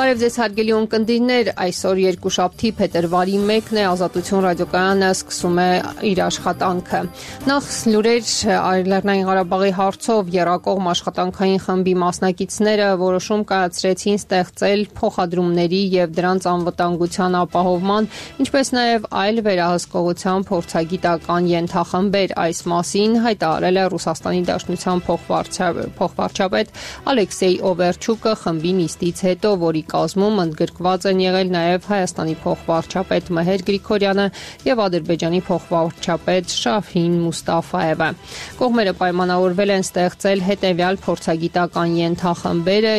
Բարև ձեզ հարգելի ունկնդիրներ, այսօր երկուշաբթի փետրվարի 1-ն է, Ազատություն ռադիոկայանը սկսում է իր աշխատանքը։ Նախ լուրեր Լեռնային Ղարաբաղի հարցով եռակողմ աշխատանքային խմբի մասնակիցները որոշում կայացրեցին ստեղծել փոխադրումների եւ դրանց անվտանգության ապահովման, ինչպես նաեւ այլ վերահսկողության փորձագիտական ենթախմբեր։ Այս մասին հայտարարել է Ռուսաստանի Դաշնության փոխվարչապետ Ալեքսեյ Օվերչուկը խմբի նիստից հետո, որի կազմում ընդգրկված են եղել նաև Հայաստանի փոխվարչապետ Մհեր Գրիգորյանը եւ Ադրբեջանի փոխվարչապետ Շաֆին Մուստաֆաևը։ Կողմերը պայմանավորվել են ստեղծել հետեւյալ փորձագիտական ենթախմբերը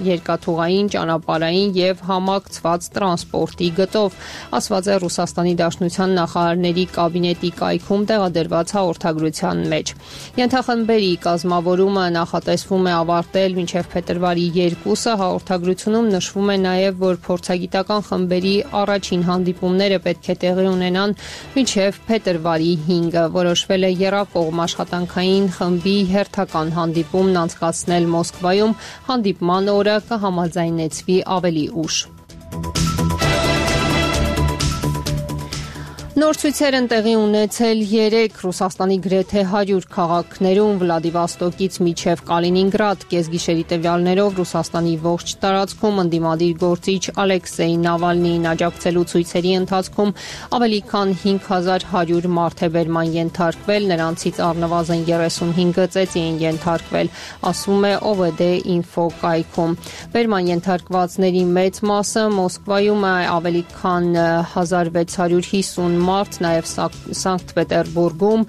երկաթուղային, ճանապարհային եւ համակցված տրանսպորտի գծով, ասված է Ռուսաստանի Դաշնության նախարարների կաբինետի կայքում տեղադրված հաղորդագրության մեջ։ Ենթախմբերի կազմավորումը նախատեսվում է ավարտել մինչև փետրվարի 2-ը, հաղորդագրությունում նշվում է նաև, որ փորձագիտական խմբերի առաջին հանդիպումները պետք է տեղի ունենան մինչև փետրվարի 5-ը։ Որոշվել է եռակողմ աշխատանքային խմբի հերթական հանդիպումն անցկացնել Մոսկվայում, հանդիպման օրը կհամաձայնեցվի ավելի ուշ։ Նոր ցույցեր են տեղի ունեցել 3 Ռուսաստանի գրեթե 100 քաղաքներում Վլադիվոստոկից մինչև Կալինինգրադ, կեսգիշերի տվյալներով Ռուսաստանի ողջ տարածքում ընդդիմադիր գործիչ Ալեքսեյ Նավալնիին աջակցելու ցույցերի ընթացքում ավելի քան 5100 մարդ է բերման ենթարկվել, նրանցից առնվազն 35-ը ծեծի են ենթարկվել, ասում է OVD-Info կայքում։ Բերման ենթարկվածների մեծ մասը Մոսկվայում է, ավելի քան 1650 մարդ, նաև Սանկտ Պետերբուրգում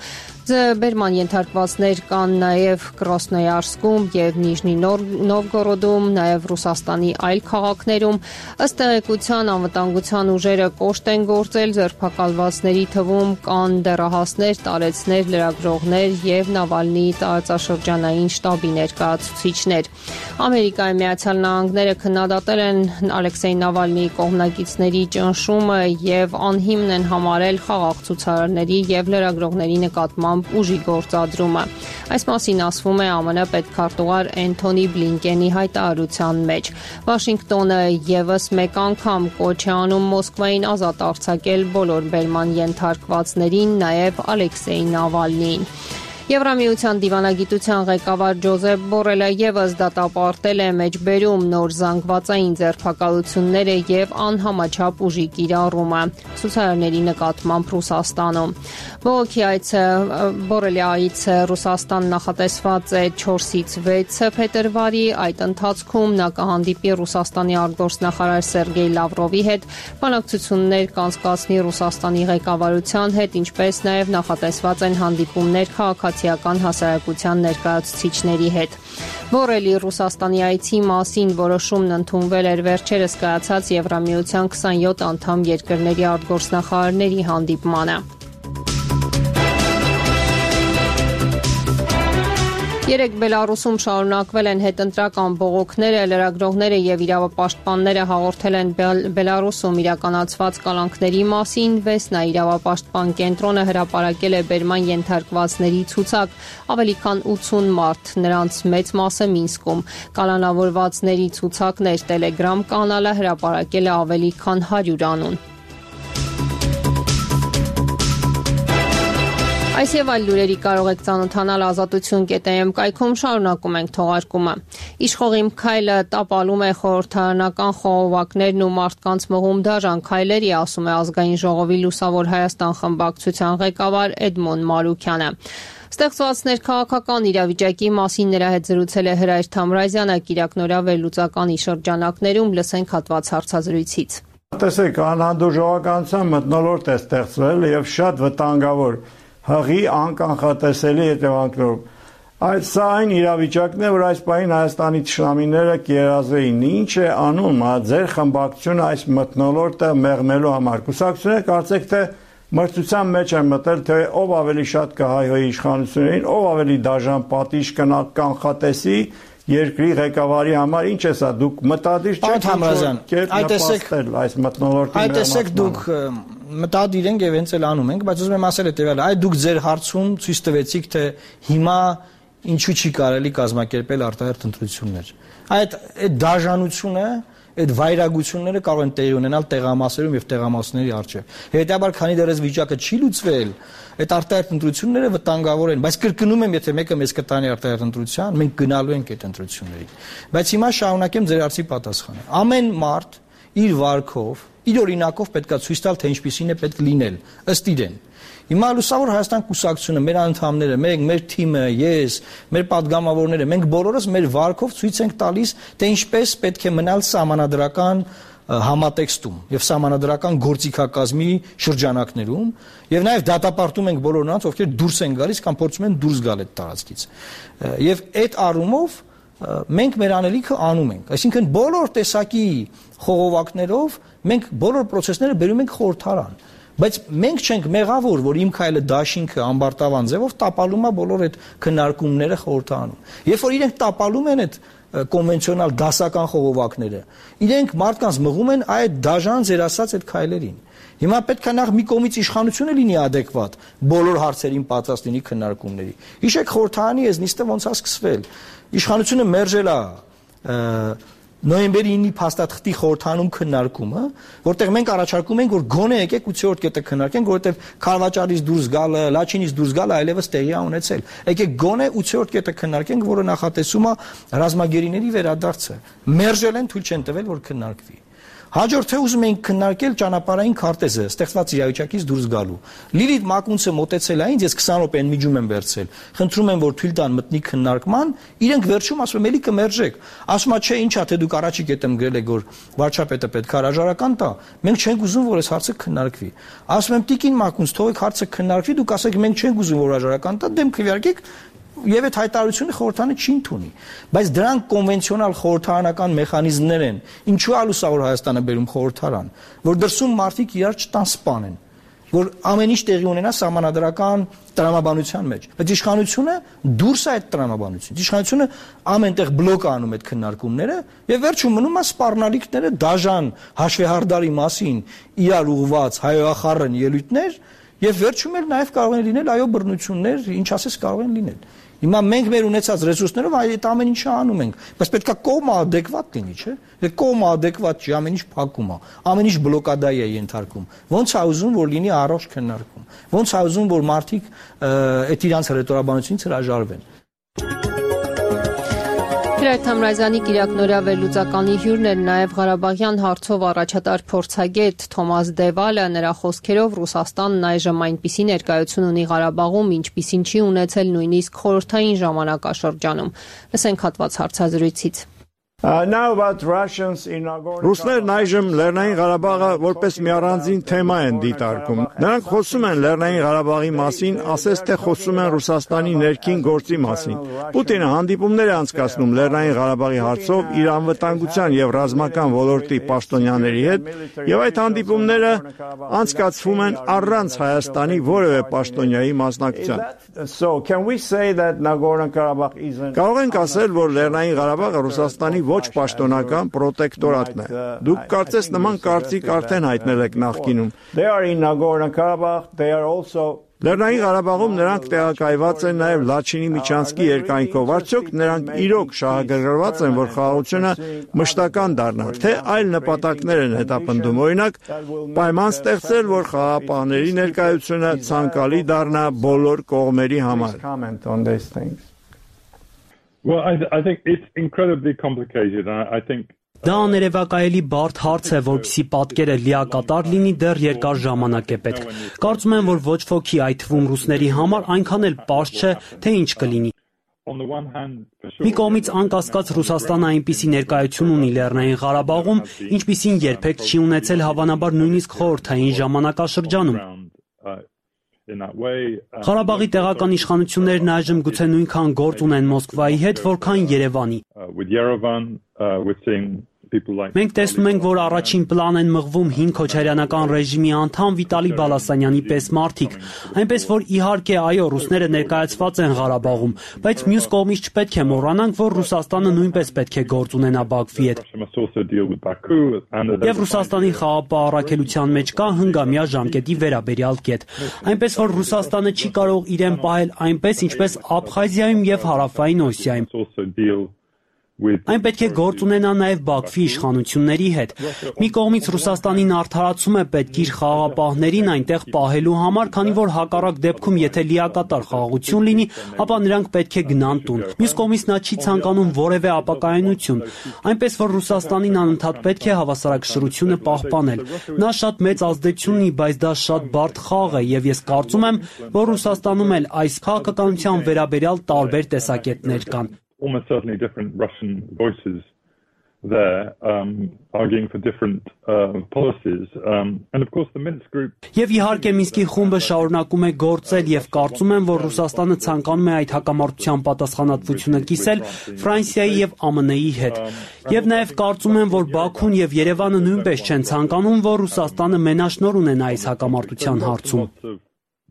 բերման ենթարկվածներ կան նաև Կրասնոյարսկում եւ Նիժնի Նովգորոդում, նաև Ռուսաստանի այլ քաղաքներում։ Ըստ տեղեկության անվտանգության ուժերը կոշտ են գործել, ձերբակալվածների թվում կան դեռահասներ, տարեցներ, լրագրողներ եւ Նավալնիի տարածաշրջանային շտաբի ներկայացուցիչներ։ Ամերիկայի Միացյալ Նահանգները քննադատել են Ալեքսեյ Նավալնիի կողմնակիցների ճնշումը եւ անհիմն են համարել խաղաղ ցուցարարների եւ լրագրողների նկատմամբ ուժի գործադրումը։ Այս մասին ասվում է ԱՄՆ պետքարտուղար Էնթոնի Բլինկենի հայտարարության մեջ։ Վաշինգտոնը եւս մեկ անգամ կոչ է անում Մոսկվային ազատ արձակել բոլոր բերման ենթարկվածներին, նաեւ Ալեքսեյ Նավալնիին։ Եվրամիության դիվանագիտության ղեկավար Ջոզեփ Բորելը եւս դատապարտել է մեջբերում նոր զանգվածային ձերբակալությունները եւ անհամաչափ ուժի կիրառումը ցուցարարների նկատմամբ Ռուսաստանում։ Բողոքի այցը Բորելի այցը Ռուսաստան նախատեսված է 4-ից 6 փետրվարի, այդ ընթացքում նա կհանդիպի Ռուսաստանի արտգործնախարար Սերգեյ Լավրովի հետ, բանակցություններ կանցկացնի Ռուսաստանի ղեկավարության հետ, ինչպես նաեւ նախատեսված են հանդիպումներ քաղաքացիական հասարակության ներկայացուցիչների հետ։ Բորելի Ռուսաստանի այցի մասին որոշումն ընդունվել էր վերջերս կայացած Եվրամիության 27 անդամ երկրների արտգործնախարարների հանդիպմանը։ Երեկ Բելարուսում շարունակվել են հետընտրական բողոքները, լրագրողները եւ իրավապաշտպանները հաղորդել են Բելարուսում իրականացված կալանքների մասին, Վեսնա իրավապաշտպան կենտրոնը հրապարակել է բերման ենթարկվածների ցուցակ, ավելի քան 80 մարդ, նրանց մեծ մասը Մինսկում։ Կալանավորվածների ցուցակներ Telegram կանալը հրապարակել է ավելի քան 100 անուն։ Այս եւ այլ լուրերի կարող եք ծանոթանալ ազատություն.am կայքում, շարունակում ենք թողարկումը։ Իշխողիմ քայլը տապալում է խորհրդարանական խողովակներն ու մարդկանց մղում դաժան քայլերի, ասում է Ազգային ժողովի Լուսավոր Հայաստան խմբակցության ղեկավար Էդմոն Մարուքյանը։ Ստեղծված ներքաղաքական իրավիճակի մասին նրա հետ զրուցել է Հրայր Թամրազյանը Կիրակնորյա վերլուծականի շրջանակներում, լսենք հատված հարցազրույցից։ Տեսեք, անհանդուրժողականության մթնոլորտ է ստեղծվել եւ շատ վտանգավոր հղի անկանխատեսելի հետևանքներով։ Սա այն իրավիճակն է, որ այս պահին Հայաստանի թշնամիները կերազեին։ Ինչ է անում ձեր խմբակցությունը այս մթնոլորտը մեղմելու համար։ Կուսակցությունները կարծեք թե մրցության մեջ են մտել, թե ով ավելի շատ կհայհոյի իշխանություններին, ով ավելի դաժան պատիժ կանխատեսի երկրի ղեկավարի համար։ Ինչ է սա, դուք մտադիր չեք նպաստել այս մթնոլորտի մեղմացման։ Այդտեսեք դուք մտադիր ենք եւ հենց էլ անում ենք, բայց ուզում եմ ասել հետեւյալը, այ դուք ձեր հարցում ցույց տվեցիք, թե հիմա ինչու չի կարելի կազմակերպել արտահերթ ընտրություններ։ Այդ դաժանությունը այդ վայրագությունները կարող են տեղի ունենալ տեղամասերում եւ տեղամասների առջեւ։ Հետաբար, քանի դեռ այս վիճակը չի լուծվել, այդ արտահայտ ընտրությունները վտանգավոր են, բայց կրկնում եմ, եթե մեկը մեզ կտանի արտահայտ ընտրության, մենք գնալու ենք այդ ընտրություններին։ Բայց հիմա շարունակեմ ձեր հարցի պատասխանը։ Ամեն մարդ իր վարքով, իր օրինակով պետքա ցույց տալ, թե ինչպիսին է պետք լինել, ըստ իրեն։ Հիմա Լուսավոր Հայաստան կուսակցությունը, մեր անդամները, մեր թիմը, ես, մեր падգամավորները, մենք բոլորս մեր վարքով ցույց ենք տալիս, թե ինչպես պետք է մնալ սահմանադրական համատեքստում եւ սահմանադրական գործիքակազմի շրջանակներում եւ նաեւ դատապարտում ենք բոլոր նրանց, ովքեր դուրս են գալիս կամ փորձում են դուրս գալ այդ տարածքից։ Եվ այդ առումով մենք մեր անելիքը անում ենք, այսինքն բոլոր տեսակի խողովակներով մենք բոլոր process-ները բերում ենք խորհրդարան։ Բայց մենք չենք մեղավոր, որ իմ քայլը դաշինքը ամբարտավան ձևով տապալում է բոլոր այդ քննարկումները խորհրդարանում։ Երբ որ իրենք տապալում են այդ կոնվենցիոնալ դասական խողովակները, իրենք մարդկանց մղում են այդ դաժան ձեր ասած այդ քայլերին։ Հիմա պետք է նախ մի կողմից իշխանությունը լինի adekvat բոլոր հարցերին պատրաստ լինի քննարկումների։ Հիշեք խորհրդարանի այս նիստը ոնց է սկսվել։ Իշխանությունը մերժել է նոյեմբերի 9-ի փաստաթղթի խորհրդանում քննարկումը, որտեղ մենք առաջարկում ենք, որ գոնե եկեք 8-րդ կետը քննարկենք, որովհետև Քարվաճարից դուրս գալը, Լաչինից դուրս գալը այլևս տեղի է ունեցել։ Եկեք գոնե 8-րդ կետը քննարկենք, որը նախատեսում է ռազմագերիների վերադարձը։ Մերժել են, թույլ չեն տվել, որ քննարկվի։ Հաջորդ թե ուզում ենք քննարկել ճանապարհային քարտեզը, ստեղծված իրավիճակից դուրս գալու։ Լիլիթ Մակունցը մոտեցել է ինձ, ես 20 րոպե միջում եմ վերցրել։ Խնդրում եմ, որ թույլ տան մտնի քննարկման, իրենք վերջում ասում են, էլի կմերժեք։ Ասում է, չէ, ինչա, թե դուք առաջի կետում գրել եք, որ վարչապետը պետք է հրաժարական տա, մենք չենք ուզում, որ այս հարցը քննարկվի։ Ասում եմ, Տիկին Մակունց, թողեք հարցը քննարկվի, դուք ասեք, մենք չենք ուզում, որ հրաժարական տա, դեմ քվեարկեք Եվ այդ հայտարարությունը խորհրդարանը չի ընդունի, բայց դրանք կոնվենցիոնալ խորհրդարանական մեխանիզմներ են, ինչու է Լուսավոր Հայաստանը բերում խորհրդարան, որ դրսում մարդիկ իրար չտան սպանեն, որ ամեն ինչ տեղի ունենա սահմանադրական տրամաբանության մեջ, բայց իշխանությունը դուրս է այդ տրամաբանությունից, իշխանությունը ամենտեղ բլոկ է անում այդ քննարկումները եւ վերջում մնում է սպառնալիքները դաժան հաշվեհարդարի մասին իրար ուղված հայոախառն ելույթներ եւ վերջում էլ նաեւ կարող են լինել այո բռնություններ, ինչ ասես կարող են լինել։ Հիմա մենք մեր ունեցած ռեսուրսներով այդ ամեն ինչը անում ենք, բայց պետք է կողմը adekvat լինի, չէ՞։ Եթե կողմը adekvat չի, ամեն ինչ փակում է, ամեն ինչ բլոկադայի է ենթարկում։ Ոնց է ուզում, որ լինի առողջ քննարկում։ Ոնց է ուզում, որ մարդիկ այդ իրանց հռետորաբանությունից հրաժարվեն։ Հրայր Թամրազյանի Կիրակ Նորյա վերլուծականի հյուրն էր նաև Ղարաբաղյան հարցով առաջատար փորձագետ Թոմաս Դևալը, նրա խոսքերով Ռուսաստանն այժմ այնպիսի ներկայություն ունի Ղարաբաղում, ինչպիսին չի ունեցել նույնիսկ խորհրդային ժամանակաշրջանում։ Լսենք հատված հարցազրույցից։ Ռուսներն այժմ Լեռնային Ղարաբաղը որպես մի առանձին թեմա են դիտարկում։ Նրանք խոսում են Լեռնային Ղարաբաղի մասին, ասես թե խոսում են Ռուսաստանի ներքին գործի մասին։ Պուտինը հանդիպումներ է անցկացնում Լեռնային Ղարաբաղի հարցով իր անվտանգության եւ ռազմական ոլորտի պաշտոնյաների հետ, եւ այդ հանդիպումները անցկացվում են առանց Հայաստանի որևէ պաշտոնյայի մասնակցության։ Կարող ենք ասել, որ Լեռնային Ղարաբաղը Ռուսաստանի ոչ պաշտոնական պրոտեկտորատն է։ Դուք կարծես նման կարծիք արդեն հայտնել եք նախկինում։ Լեռնային Ղարաբաղում նրանք տեղակայված են նաև Լաչինի միջանցքի երկայնքով։ Արդյոք նրանք իրոք շահագրգռված են, որ խաղաղությունը մշտական դառնա, թե այլ նպատակներ են հետապնդում, օրինակ պայման ստեղծել, որ խաղաղապահների ներկայությունը ցանկալի դառնա բոլոր կողմերի համար։ Well, I think it's incredibly complicated. I think Դա աներևակայելի բարդ հարց է, որպեսզի պատկերը լիակատար լինի, դեռ երկար ժամանակ է պետք։ Կարծում եմ, որ ոչ ոքի, այդ թվում ռուսների համար այնքան էլ պարզ չէ, թե ինչ կլինի։ Մի կողմից անկասկած Ռուսաստանը այնպիսի ներկայություն ունի Լեռնային Ղարաբաղում, ինչպիսին երբեք չի ունեցել հավանաբար նույնիսկ խորհրդային ժամանակաշրջանում։ Ղարաբաղի տեղական իշխանություններն այժմ գուցե նույնքան գործ ունեն Մոսկվայի հետ, որքան Երևանի։ Մենք տեսնում ենք, որ առաջին պլան են մղվում հին քոչարյանական ռեժիմի անդամ Վիտալի Բալասանյանի պես մարդիկ, այնպես որ իհարկե այո, ռուսները ներկայացված են Ղարաբաղում, բայց մյուս կողմից չպետք է մոռանանք, որ Ռուսաստանը նույնպես պետք է գործ ունենա Բաքվի հետ։ Եվ Ռուսաստանի խաղաղապահ առաքելության մեջ կա հնգամյա ժամկետի վերաբերյալ կետ, այնպես որ Ռուսաստանը չի կարող իրեն պահել այնպես, ինչպես Աբխազիայում եւ Հարավային Օսիայում։ Այն պետք է գործ ունենա նաև Բաքվի իշխանությունների հետ։ Մի կողմից Ռուսաստանին արդարացում է պետք իր խաղաղապահներին այնտեղ պահելու համար, քանի որ հակառակ դեպքում եթե լիակատար խաղաղություն լինի, ապա նրանք պետք է գնան տուն։ Մյուս կողմից նա չի ցանկանում որևէ ապակայունություն, այնպես որ Ռուսաստանին անընդհատ պետք է հավասարակշռությունը պահպանել։ Նա շատ մեծ ազդեցություն ունի, բայց դա շատ բարդ խաղ է, եւ ես կարծում եմ, որ Ռուսաստանում էլ այս քաղաքականության վերաբերյալ տարբեր տեսակետներ կան։ Almost certainly different Russian voices there arguing for different policies and of course the Minsk group Եվ իհարկե Մինսկի խումբը շարունակում է գործել եւ կարծում եմ, որ Ռուսաստանը ցանկանում է այդ հակամարտության պատասխանատվությունը կիսել Ֆրանսիայի եւ ԱՄՆ-ի հետ։ Եվ նաեւ կարծում եմ, որ Բաքուն եւ Երևանը նույնպես չեն ցանկանում, որ Ռուսաստանը մենաշնոր ունենա այս հակամարտության հարցում։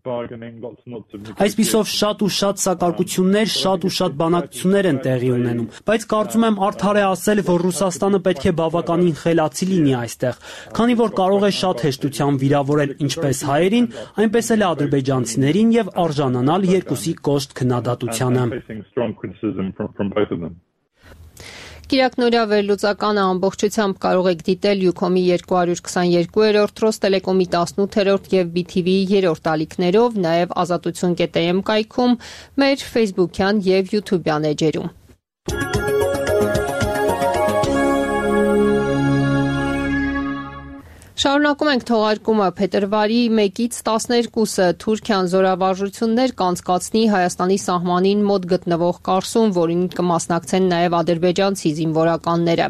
Այսպիսով շատ ու շատ սակարկություններ, շատ ու շատ բանակցություններ են տեղի ունենում, բայց կարծում եմ արդար է ասել, որ Ռուսաստանը պետք է բավականին խելացի լինի այստեղ, քանի որ կարող է շատ հեշտությամբ վիրավորել ինչպես հայերին, այնպես էլ ադրբեջանցիներին եւ արժանանալ երկուսի կոշտ քննադատությանը։ Կիրակ Նորյա վերլուծականը ամբողջությամբ կարող եք դիտել Յուքոմի 222-րդ, Ռոստելեկոմի 18-րդ եւ BTV-ի 3-րդ ալիքներով, նաեւ ազատություն.am կայքում, մեր Facebook-յան եւ YouTube-յան էջերում։ Շարունակում ենք թողարկումը փետրվարի 1-ից 12-ը Թուրքիան զորավարժություններ կանցկացնի Հայաստանի սահմանին մոտ գտնվող Կարսում, որին կմասնակցեն նաև ադրբեջանցի զինվորականները։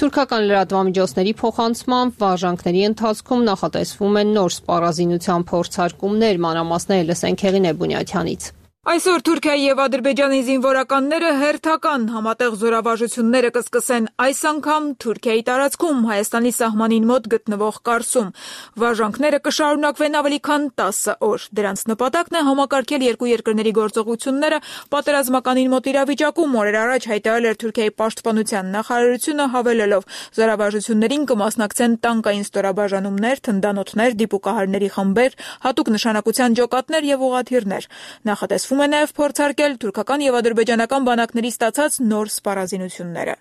Թուրքական լրատվամիջոցների փոխանցմամբ վարժանքների ընթացքում նախատեսվում են նոր սպառազինության փորձարկումներ, մանրամասները լսենք Հեղինե Բունյաթյանից։ Այսօր Թուրքիայի եւ Ադրբեջանի զինվորականները հերթական համատեղ զորավարժությունները կսկսեն այս անգամ Թուրքիայի տարածքում Հայաստանի սահմանին մոտ գտնվող Կարսում։ Վարժանքները կշարունակվեն ավելի քան 10 օր։ Դրանց նպատակն է համակարգել երկու երկրների գործողությունները պատերազմականին մոտ իրավիճակում, օրեր առաջ հայտարարել էր Թուրքիայի պաշտպանության նախարարությունը, հավելելով զորավարժություններին կմասնակցեն տանկային ստորաբաժանումներ, թնդանոթներ, դիպուկահարների խմբեր, հատուկ նշանակության ջոկատներ եւ ուղղաթիռներ։ Նախատեսվում է նաև փորձարկել թուրքական եւ ադրբեջանական բանակների ստացած նոր սպառազինությունները։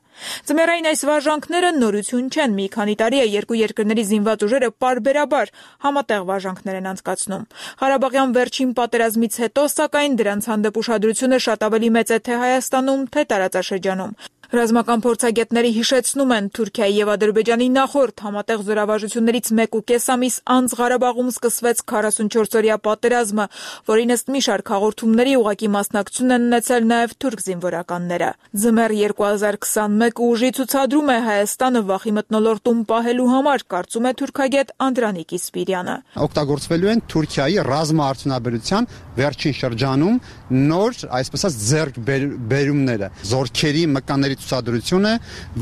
Ձմեռային այս վարժանքները նորություն չեն, մի քանի տարի է երկու երկրների զինված ուժերը պարբերաբար համատեղ վարժանքներ են անցկացնում։ Ղարաբաղյան վերջին պատերազմից հետո, սակայն, դրանց հանդեպ ուշադրությունը շատ ավելի մեծ է թե Հայաստանում, թե տարածաշրջանում։ Ռազմական փորձագետների հիշեցնում են Թուրքիայի եւ Ադրբեջանի նախորդ համատեղ զորավարժություններից 1.5 ամիս անց Ղարաբաղում սկսվեց 44-օրյա պատերազմը, որին ըստ մի շարք հաղորդումների ուղղակի մասնակցություն են ունեցել նաեւ թուրք զինվորականները։ Ձմեռ 2021 ուժի ցուցադրում է Հայաստանը վախի մթնոլորտում պահելու համար, կարծում է թուրքագետ Անդրանիկ Իսպիրյանը։ Օգտագործվելու են Թուրքիայի ռազմաարդյունաբերության վերջին շրջանում նոր, այսպես ասած, ձեռքբերումները, զորքերի մկանների ցուցադրությունը,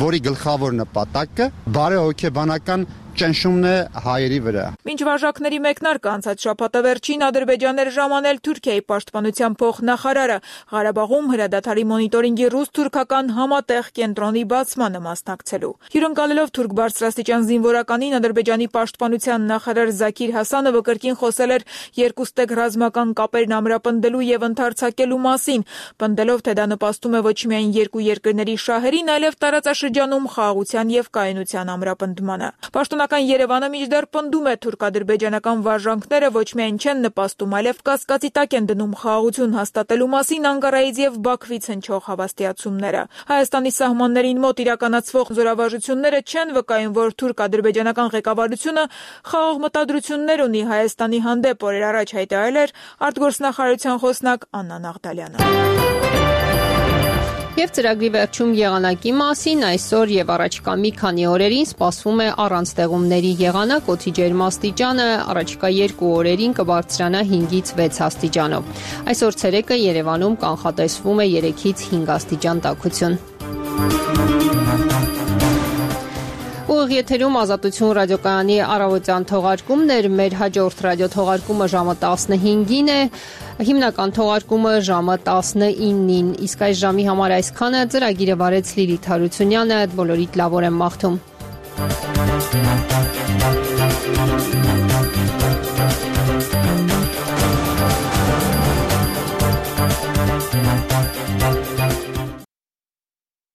որի գլխավոր նպատակը բարեհոգեբանական ճնշումն է հայերի վրա։ Մինչ վարժակների մեկնարկը անցած շաբաթավերջին Ադրբեջաներ ժամանել Թուրքիայի պաշտպանության փոխնախարարը Ղարաբաղում հրադադարի մոնիտորինգի ռուս-թուրքական համատեղ կենտրոնի բացմանը մասնակցելու։ Հյուրընկալելով թուրք բարձրաստիճան զինվորականին Ադրբեջանի պաշտպանության նախարար Զաքիր Հասանովը կրկին խոսել էր երկուստեք ռազմական կապերն ամրապնդելու եւ ընդարձակելու մասին, պնդելով, թե դա նպաստում է ոչ միայն երկու երկրների շահերին, այլև տարածաշրջանում խաղաղության եւ կայունության ամրապնդմանը։ Պաշտոնական Երևանը մինչդեռ պնդում է թուրք-ադրբեջանական վարժանքները ոչ միայն չեն նպաստում, այլև կասկածի տակ են դնում խաղաղություն հաստատելու մասին Անկարայից եւ Բաքվից հնչող հավաստիացումները։ Հայաստանի սահմաններին մոտ իրականացվող զորավարժությունները չեն վկայում, որ թուրք-ադրբեջանական ղեկավարությունը խաղաղ մտադրություններ ունի Հայաստանի հանդեպ, օրեր առաջ հայտարարել էր արտգործնախարարության խոսնակ Աննա Նաղդալյանը։ Եվ ծրագրի վերջում եղանակի մասին այսօր եւ առաջիկա մի քանի օրերին սպասվում է առանց ձեղումների եղանակ, օդի ջերմաստիճանը առաջիկա 2 օրերին կբարձրանա 5-ից 6 աստիճանով։ Այսօր ցերեկը Երևանում կանխատեսվում է 3-ից 5 աստիճան տաքություն։ Ուղիղ եթերում Ազատություն ռադիոկայանի առավոտյան թողարկումներ, մեր հաջորդ ռադիոթողարկումը ժամը 15-ին է, հիմնական թողարկումը ժամը 19-ին, իսկ այս ժամի համար այսքանը, ծրագիրը վարեց Լիլիթ Հարությունյանը, բոլորիդ լավ օր եմ մաղթում։